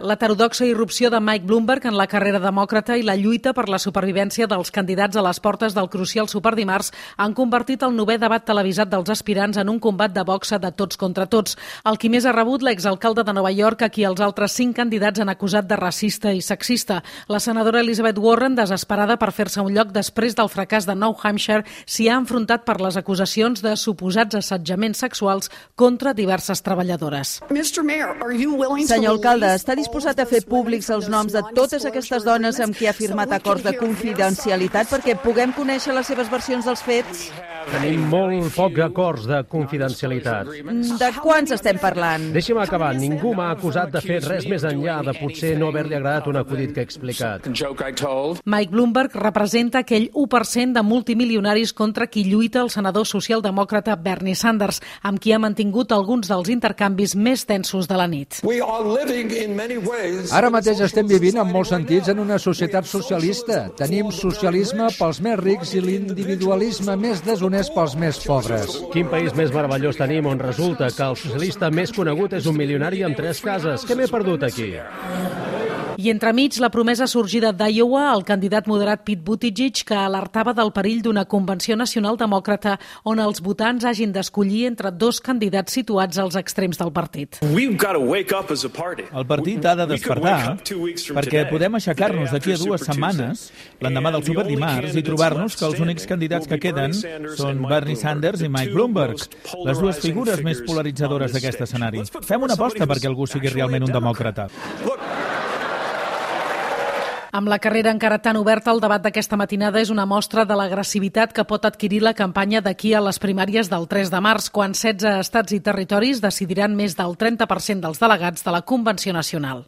L'heterodoxa irrupció de Mike Bloomberg en la carrera demòcrata i la lluita per la supervivència dels candidats a les portes del crucial superdimarts han convertit el 9è debat televisat dels aspirants en un combat de boxa de tots contra tots. El qui més ha rebut, l'exalcalde de Nova York, a qui els altres 5 candidats han acusat de racista i sexista. La senadora Elizabeth Warren, desesperada per fer-se un lloc després del fracàs de New Hampshire, s'hi ha enfrontat per les acusacions de suposats assetjaments sexuals contra diverses treballadores. Senyor alcalde, està disposat a fer públics els noms de totes aquestes dones amb qui ha firmat acords de confidencialitat perquè puguem conèixer les seves versions dels fets? Tenim molt pocs acords de confidencialitat. De quants estem parlant? Deixi'm acabar. Ningú m'ha acusat de fer res més enllà de potser no haver-li agradat un acudit que he explicat. Mike Bloomberg representa aquell 1% de multimilionaris contra qui lluita el senador socialdemòcrata Bernie Sanders, amb qui ha mantingut alguns dels intercanvis més tensos de la nit. Ara mateix estem vivint en molts sentits en una societat socialista. Tenim socialisme pels més rics i l'individualisme més deshonest pels més pobres. Quin país més meravellós tenim on resulta que el socialista més conegut és un milionari amb 3 cases? Què m'he perdut aquí? I entremig, la promesa sorgida d'Iowa, el candidat moderat Pete Buttigieg, que alertava del perill d'una convenció nacional demòcrata on els votants hagin d'escollir entre 2 candidats situats als extrems del partit. El partit ha de despertar perquè podem aixecar-nos d'aquí a 2 setmanes, l'endemà del superdimarts, i trobar-nos que els únics candidats que queden són Bernie Sanders i Mike Bloomberg, les 2 figures més polaritzadores d'aquest escenari. Fem una aposta perquè algú sigui realment un demòcrata. Amb la carrera encara tan oberta, el debat d'aquesta matinada és una mostra de l'agressivitat que pot adquirir la campanya d'aquí a les primàries del 3 de març, quan 16 estats i territoris decidiran més del 30% dels delegats de la Convenció Nacional.